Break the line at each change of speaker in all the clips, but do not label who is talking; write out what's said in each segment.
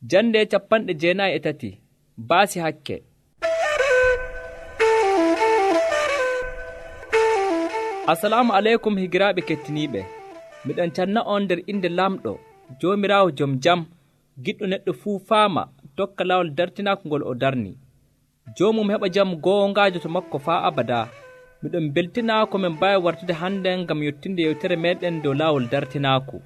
Jande 93 baasi hakke. Assalamu aleykum higiraaɓe kettiniiɓe. Miɗon canna on nder inde lamɗo Joomiraawo jom jam, giɗɗo neɗɗo fuu faama tokka laawol dartinaako ngol o darni. Joomum heɓa jam goongaajo to makko faa abadaa. Miɗon beltinaa ko min mbaawi wartude hande ngam yottinde yewtere meɗen dow laawol dartinaaku.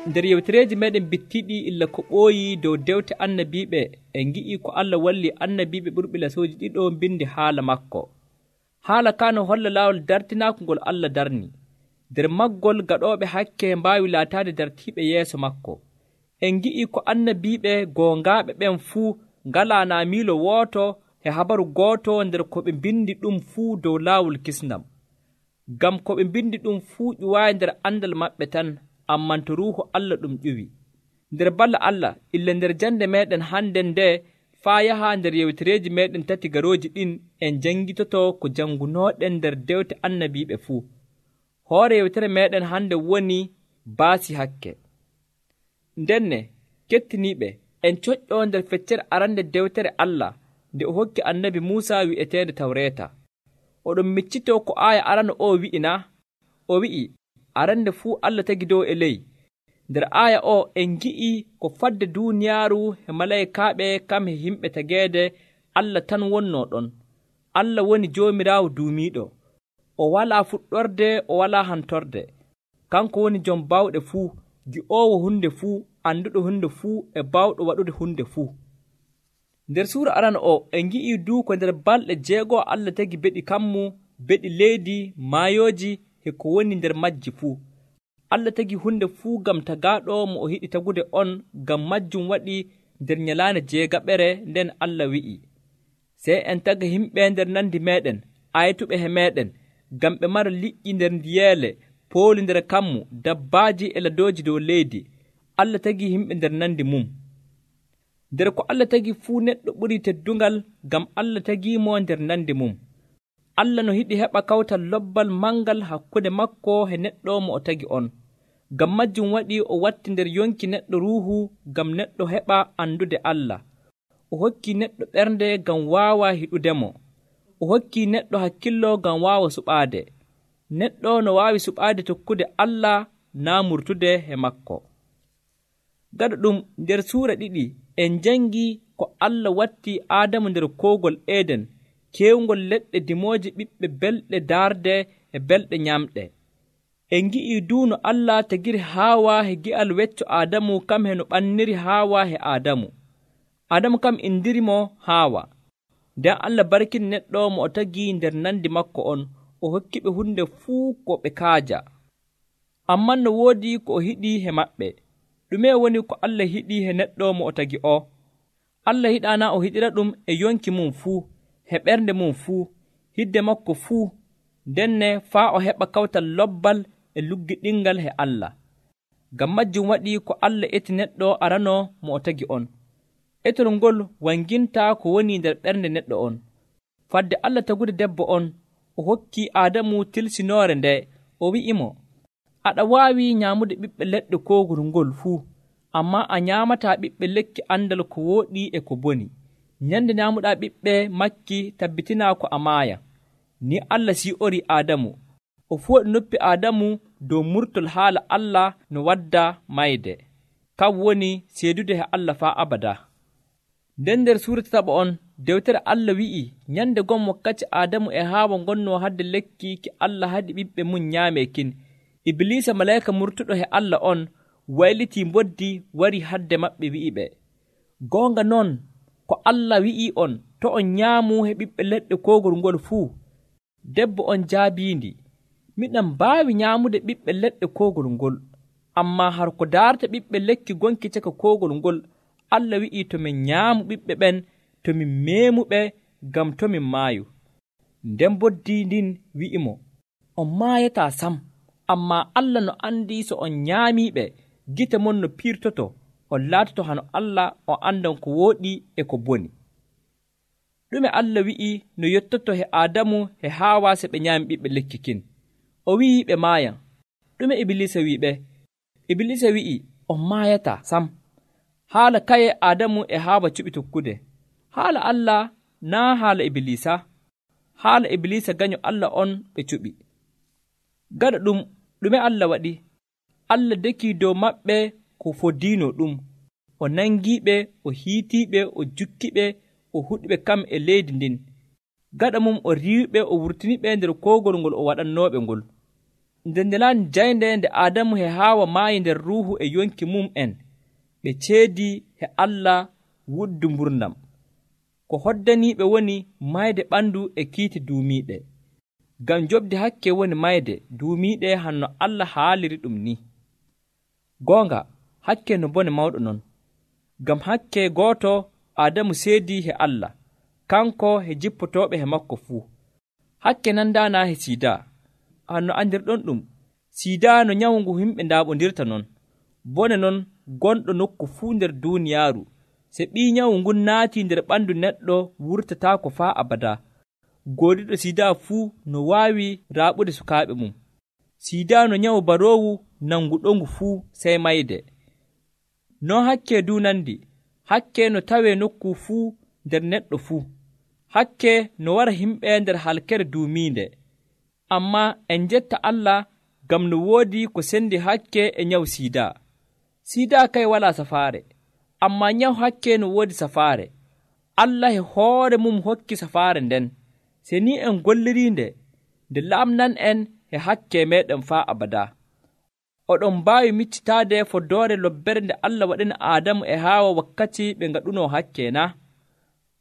Nder yewtereeji meɗen bittiɗi illa ko ɓooyi dow dewte annabiiɓe en ngi'i ko Allah walli annabiiɓe ɓurɓe lasooji ɗiɗo mbindi haala makko. Haala ka no holla laawol dartinaaku ngol Allah darni. Nder maggol gaɗooɓe hakke mbaawi laataade dartiiɓe yeeso makko. En ngi'i ko annabiiɓe goongaaɓe ɓen fuu ngalaa naa miilo wooto e habaru gooto nder ko ɓe mbindi ɗum fuu dow laawol kisnam. Ngam ko ɓe mbindi ɗum fuu ƴuwaayi nder andal maɓɓe tan, amman to Ruuhu Allah ɗum ƴuwi. Nder balla Allah, illa nder jande meɗen hande nde faa yaha nder yewtereeji meɗen tati garooji ɗin en janngitoto ko janngunooɗen nder dewte annabiiɓe fuu. Hoore yewtere meɗen hande woni baasi hakke. Ndenne, kettiniiɓe, en coƴƴoo nder feccere arande dewtere Allah nde o hokki annabi Muusaa wi'eteende Tawreeta. Oɗon miccitoo ko aaya arano o wi'ina. O wi'i, arande fuu Allah tagi dow e ley. Nder aaya o en ngi'i ko fadde duuniyaaru e malaykaaɓe kam e himɓe tageede Allah tan wonnoo ɗon. Allah woni Joomiraawo duumiiɗo. O walaa fuɗɗorde, o walaa hantorde. Kanko woni jom bawɗe fuu, gi'oowo hunde fuu, annduɗo hunde fuu e bawɗo waɗude hunde fuu. Nder suura arana o en ngi'i duu ko nder balɗe 6 Allah tagi beɗi kammu, beɗi leydi, maayooji e ko woni nder majji fuu. Allah tagi hunde fuu ngam tagaaɗo mo o yiɗi tagude on, ngam majjum waɗi nder nyalaande 6 nden Allah wi'i, sey en taga himɓe nder nandi meɗen, aytuɓe he meɗen, ngam ɓe mara liƴƴi nder ndiyeele, pooli nder kammu, dabbaaji e ladooji dow leydi. Allah tagi himɓe nder nandi mum. Nder ko Allah tagi fuu neɗɗo ɓuri teddungal, ngam Allah tagiimo nder nandi mum. Allah no yiɗi heɓa kawtal lobbal mangal hakkunde makko e neɗɗo mo o tagi on. Ngam majjum waɗi o watti nder yonki neɗɗo ruuhu ngam neɗɗo heɓa andude Allah. O hokki neɗɗo ɓernde ngam waawa hiɗudemo. O hokki neɗɗo hakkillo ngam waawa suɓaade. Neɗɗo no waawi suɓaade tokkude Allah naa murtude e makko. Gaɗa ɗum nder suura 2 en jangi ko Allah watti Aadamu nder koogol Eden, keewngol leɗɗe dimooje ɓiɓɓe belɗe daarde e belɗe nyamɗe. En ngi'i duuno Allah tagiri Haawa e gi'al wecco Aadamu kam he no ɓanniri Haawa e Aadamu. Aadamu kam indirimo Haawa. Nden Allah barkini neɗɗo mo o tagi nder nandi makko on, o hokki ɓe hunde fuu ko ɓe kaaja. Amman no woodi ko o hiɗi he maɓɓe. Ɗume woni ko Allah hiɗi he neɗɗo mo o tagi o? Allah hiɗaana o hiɗira ɗum e yonki mum fuu, he ɓernde mum fuu, hidde makko fuu, ndenne faa o heɓa kawtal lobbal e luggiɗingal he Allah. Ngam majjum waɗi ko Allah eti neɗɗo arano mo o tagi on. Etol ngol wanginta ko woni nder ɓernde neɗɗo on. Fadde Allah tagude debbo on, o hokki Aadamu tilsinoore nde, o wi'imo, aɗa waawi nyaamude ɓiɓɓe leɗɗe koogol ngol fuu, ammaa a nyaamataa ɓiɓɓe lekki andal ko wooɗi e ko boni. Nyande nyaamuɗaa ɓiɓɓe makki tabbitinaa ko a maaya. Ni Allah sii'ori Aadamu. O fooɗi noppi Aadamu dow murtol haala Allah no wadda mayde. Kam woni seedude he Allah faa abadaa. Nden nder suura 7 on, dewtere Allah wi'i nyande gon wakkati Aadamu e Haawa ngonnoo hadde lekki ki Allah haɗi ɓiɓɓe mum nyaamee kin. Ibliisa malayka murtuɗo he Allah on waylitii mboddi wari hadde maɓɓe wi'iɓe, goonga noon ko Allah wi'i on to on nyaamu he ɓiɓɓe leɗɗe koogol ngol fuu. Debbo on jaabiindi, miɗen mbaawi nyaamude ɓiɓɓe leɗɗe koogol ngol, ammaa har ko daarta ɓiɓɓe lekki gonki caka koogol ngol, Allah wi'i to min nyaamu ɓiɓɓe ɓen, to min meemuɓe ngam to min maayu. Nden mboddi ndin wi'imo, on maayataa sam, ammaa Allah no andi so on nyaamiiɓe, gite mon no piirtoto, on laatoto hano Allah o andan ko wooɗi e ko boni. Ɗume Allah wi'i no yottoto he Aadamu he Haawa se ɓe nyaami ɓiɓɓe lekki kin? O wi'i ɓe maayan. Ɗume Ibliisa wi'i ɓe? Ibliisa wi'i on maayata sam. Haala kaye Aadamu e Haawa cuɓi tokkude. Haala Allah naa haala Ibilisa. Haala Ibilisa ganyo Allah on ɓe cuɓi. Gaɗa ɗum ɗume Allah waɗi? Allah dekii dow maɓɓe ko fodiino ɗum. O nangiiɓe, o hiitiiɓe, o jukkiɓe, o huɗiɓe kam e leydi ndin. Gaɗa mum o riiwiɓe, o wurtiniɓe nder koogol ngol o waɗannooɓe ngol. Nder nyalaande jaynde nde Aadamu e Haawa maayi nder ruuhu e yonki mum en, ɓe ceedii he Allah wuddu mburnam. Ko hoddaniiɓe woni mayde ɓandu e kiiti duumiiɗe. Ngam joɓde hakke woni mayde duumiiɗe hanno Allah haaliri ɗum ni. Goonga, hakke no bone mawɗo non. Ngam hakke gooto Aadamu seedii he Allah, kanko he jippotooɓe he makko fuu. Hakke nandaana he siidaa. Hanno andirɗon ɗum, siidaa no nyawu ngu himɓe ndaaɓondirta non. Bone non gonɗo nokku fuu nder duuniyaaru. Se ɓii nyawu ngun naatii nder ɓandu neɗɗo wurtataako faa abada. Goodiɗo siidaa fuu no waawi raaɓude sukaaɓe mum. Siidaa no nyawu baroowu nanguɗongu fuu sey mayde. Non hakke du nandi. Hakke no tawee nokku fuu nder neɗɗo fuu. Hakke no wara himɓe nder halkere duumiinde. Ammaa en njetta Allah ngam no woodi ko sendi hakke e nyawu siidaa. Siidaa kay walaa safaare, ammaa nyawu hakke no woodi safaare. Allah e hoore mum hokki safaare nden. Se ni en golliriinde, nde laamnan en e hakke meeɗen faa abada. Oɗon mbaawi miccitaade foddoore lobbere nde Allah waɗini Aadamu e Haawa wakkati ɓe ngaɗunoo hakke na?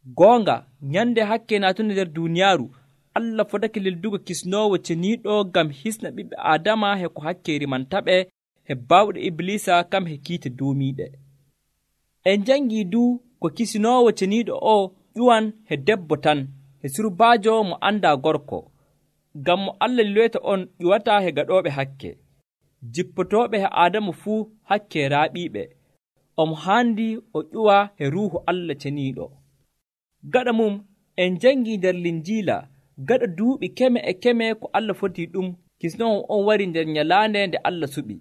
Goonga, nyande hakke naatude nder duuniyaaru, Allah fotake lildugo kisnoowo ceniiɗo ngam hisna ɓiɓɓe Aadama he ko hakke rimantaɓe he baawɗe Iblisa kam he kiite duumiiɗe. En jangii du ko kisinoowo ceniiɗo o ƴuwan he debbo tan, he surbaajo mo andaa gorko. Ngam mo Allah liloyta on ƴuwataa he gaɗooɓe hakke. Jippotooɓe he Aadamu fuu hakke raaɓiiɓe. Omo haandi o ƴuwa he ruuhu Allah ceniiɗo. Gaɗa mum en jangii nder Linjiila gaɗa duuɓi keme e keme ko Allah fotii ɗum, kisnoowo on wari nder nyalaande nde Allah suɓi.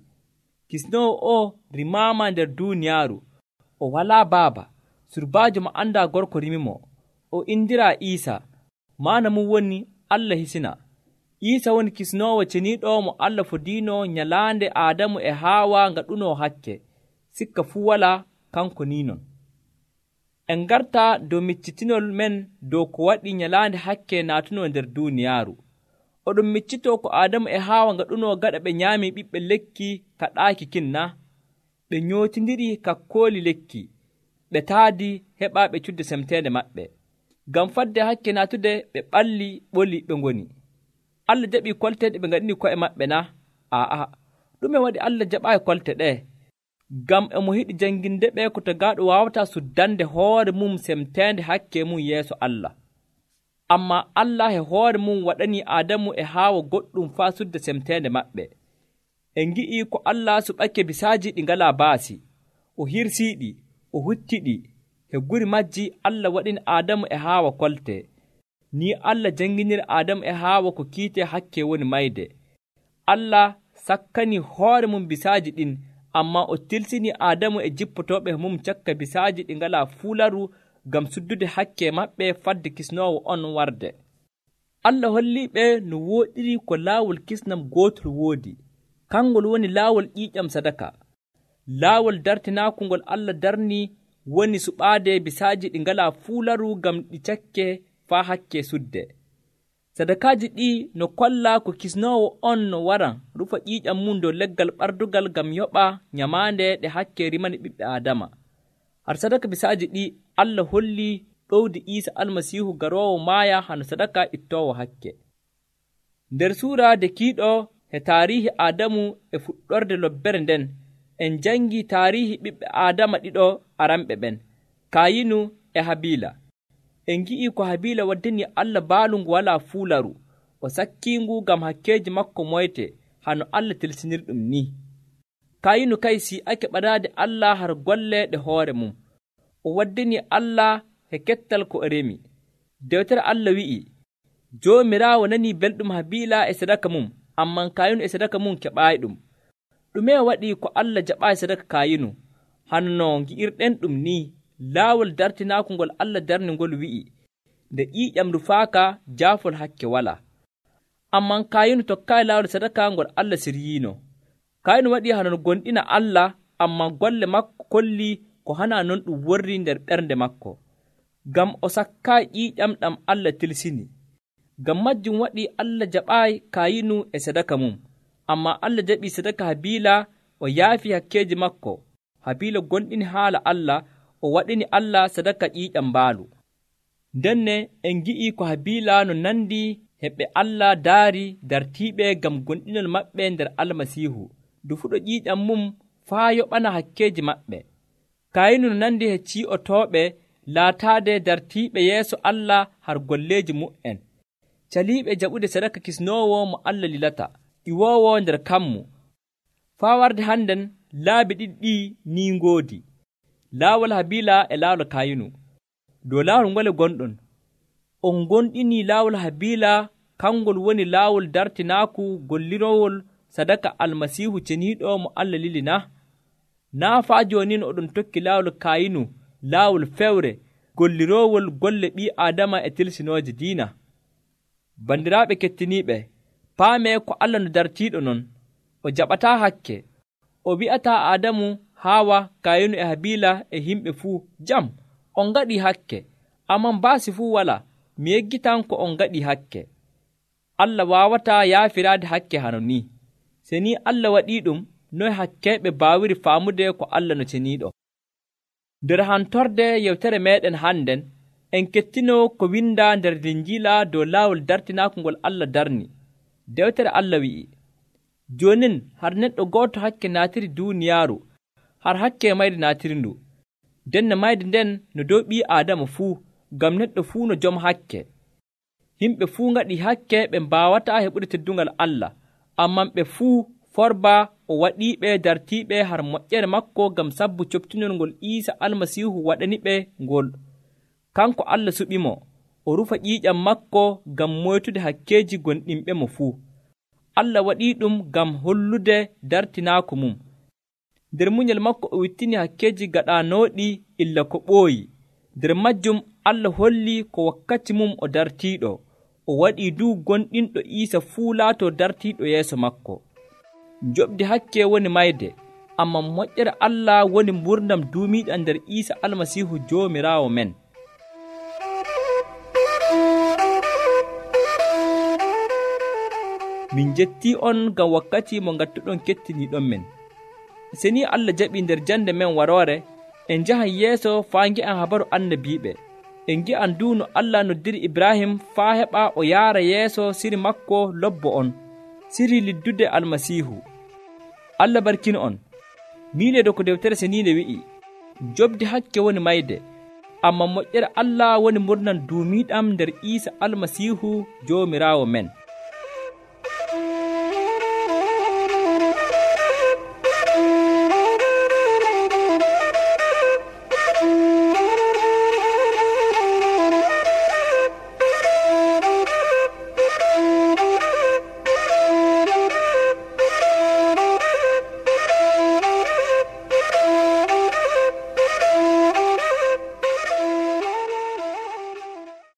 Kisnoowo o rimaama nder duuniyaaru. O walaa baaba. Surbaajo mo andaa gorko rimimo. O indiraa Iisa. Maana mum woni Allah hisina. Iisa woni kisnoowo ceniiɗo mo Allah fodiino nyalaande Aadamu e Haawa ngaɗunoo hakke. Sikka fuu walaa kanko ni non. En ngartaa dow miccitinol men dow ko waɗi nyalaande hakke naatunoo nder duuniyaaru. Oɗon miccitoo ko Aadamu e Haawa ngaɗunoo gaɗa ɓe nyaamii ɓiɓɓe lekki kaɗaaki kinna. Ɓe nyootindiri kakkooli lekki. Ɓe taadi heɓaa ɓe cudde semteende maɓɓe. Ngam fadde hakke naatude ɓe ɓalli ɓoli ɓe ngoni. Allah jaɓii kolte ɗe ɓe ngaɗini ko'e maɓɓe na? Aa, ɗume waɗi Allah jaɓaayi kolte ɗee? Ngam emo yiɗi janginde ɓe ko tagaaɗo waawataa suddande hoore mum semteende hakke mum yeeso Allah. Ammaa Allah e hoore mum waɗanii Aadamu e Haawa goɗɗum faa sudda semteende maɓɓe. En ngi'ii ko Allah suɓake bisaaji ɗi ngalaa baasi. O hirsiiɗi, o huttiɗi. He guri majji Allah waɗini Aadamu e Haawa kolte. Ni Allah janginiri Aadamu e Haawa ko kiite hakke woni mayde. Allah sakkanii hoore mum bisaaji ɗin, ammaa o tilsinii Aadamu e jippotooɓe mum cakka bisaaji ɗi ngalaa fuularu ngam suddude hakke maɓɓe fadde kisnoowo on warde. Allah holliiɓe no wooɗiri ko laawol kisnam gootol woodi. Kangol woni laawol ƴiiƴam sadaka. Laawol dartinaako ngol Allah darnii woni suɓaade bisaaji ɗi ngalaa fuularu ngam ɗi cakke faa hakke sudde. Sadakaaji ɗi no kollaa ko kisnoowo on no waran rufa ƴiiƴam mum dow leggal ɓardugal ngam yoɓa nyamaande ɗe hakke rimani ɓiɓɓe Aadama. Har sadaka bisaaji ɗi Allah hollii ɗowdi Iisa Almasiihu garoowo maaya hano sadaka ittoowo hakke. Nder suura dekiiɗo he taariihi Aadamu e fuɗɗorde lobbere nden, en jangii taariihi ɓiɓɓe Aadama ɗiɗo aranɓe ɓen, Kayinu e Habiila. En ngi'ii ko Habiila waddani Allah baalu ngu walaa fuularu, o sakkiingu ngam hakkeeji makko moyte, hano Allah tilsinirɗum ni. Kayinu kay si'ake ɓadaade Allah har golle ɗe hoore mum. O waddani Allah he kettal ko o remi. Dewtere Allah wi'i, Joomiraawo nanii belɗum Habiila e sadaka mum, ammaa Kayinu e sadaka mum keɓaayi ɗum. ɗume waɗi ko Allah jaɓaayi sadaka Kayinu? Hano no ngi'irɗen ɗum ni, laawol dartinaako ngol Allah darni ngol wi'i, nde ƴiiƴam rufaaka jaafol hakke walaa. Amman Kayinu tokkaayi laawol sadaka ngol Allah siryiino. Kayinu waɗii hano no gonɗina Allah, amman golle makko kollii ko hanaa non ɗum worrii nder ɓernde makko, ngam o sakkaayi ƴiiƴam ɗam Allah tilsini. Ngam majjum waɗii Allah jaɓaayi Kayinu e sadaka mum, ammaa Allah jaɓii sadaka Habiila, o yaafii hakkeeji makko. Habiila gonɗini haala Allah, o waɗini Allah sadaka ƴiiƴam mbaalu. Ndenne en ngi'ii ko Habiila no nandi e ɓe Allah daari dartiiɓe ngam gonɗinol maɓɓe nder Almasiihu, ndu fuɗo ƴiiƴam mum faa yoɓana hakkeeji maɓɓe. Kayinu no nandi e cii'otooɓe laataade dartiiɓe yeeso Allah har golleeji mu'en, caliiɓe jaɓude sadaka kisnoowo mo Allah lilata, ƴiwoowo nder kammu. Faa warde hannden laabi ɗiɗi ɗii ni ngoodi, laawol Habiila e laawol Kayinu. Dow laawol ngole gonɗon, on gonɗinii laawol Habiila, kangol woni laawol dartinaaku gollirowol sadaka Almasiihu ceniiɗo mo Allah lili na? Naa faa jooni oɗon tokki laawol Kayinu, laawol fewre golliroowol golle ɓii Aadama e tilsinooje diina. Bandiraaɓe kettiniiɓe, paamee ko Allah no dartiiɗo non, o jaɓataa hakke. O wi'ataa Aadamu, Haawa, Kayinu e Habiila e yimɓe fuu, jam, on ngaɗii hakke, amman baasi fuu walaa. Mi yeggitan ko on ngaɗii hakke. Allah waawataa yaafiraade hakke hano ni. Se ni Allah waɗii ɗum, noye hakkeeɓe baawiri faamude ko Allah no ceniiɗo? Nder hantorde yewtere meeɗen hannden, en kettinoo ko windaa nder Linjiila dow laawol dartinaaku ngol Allah darni. Dewtere Allah wi'i, joonin har neɗɗo gooto hakke naatiri duuniyaaru, har hakke mayde naatirindu. Denne mayde nden no dow ɓii Aadama fuu, ngam neɗɗo fuu no jom hakke. Yimɓe fuu ngaɗii hakke ɓe mbaawataa heɓude teddungal Allah, amman ɓe fuu forbaa o waɗiiɓe dartiiɓe har moƴƴere makko ngam sabbu coftinol ngol Iisa Almasiihu waɗani ɓe ngol. Kanko Allah suɓimo, o rufa ƴiiƴam makko ngam moytude hakkeeji gonɗinɓe mo fuu. Allah waɗii ɗum ngam hollude dartinaaku mum. Nder munyal makko o wittini hakkeeji gaɗaanooɗi illa ko ɓooyi. Nder majjum Allah hollii ko wakkati mum o dartiiɗo. O waɗii duu gonɗinɗo Iisa fuu laatoo dartiiɗo yeeso makko. Joɓdi hakke woni mayde, amman moƴƴere Allah woni mburdam duumiiɗam nder Iisa Almasiihu Joomiraawo men. Min jettii on ngam wakkati mo ngattuɗon kettiniiɗon men. Se ni Allah jaɓii nder jande men waroore, en njahan yeeso faa ngi'an habaru annabiiɓe. En ngi'an duu no Allah noddiri Ibrahim faa heɓa o yaara yeeso siri makko lobbo on, siri liddude Almasiihu. Allah barkino on. Miileedo ko dewtere seniinde wi'i, joɓdi hakke woni mayde, amman moƴƴere Allah woni murnam duumiiɗam nder Iisa Almasiihu Joomiraawo men.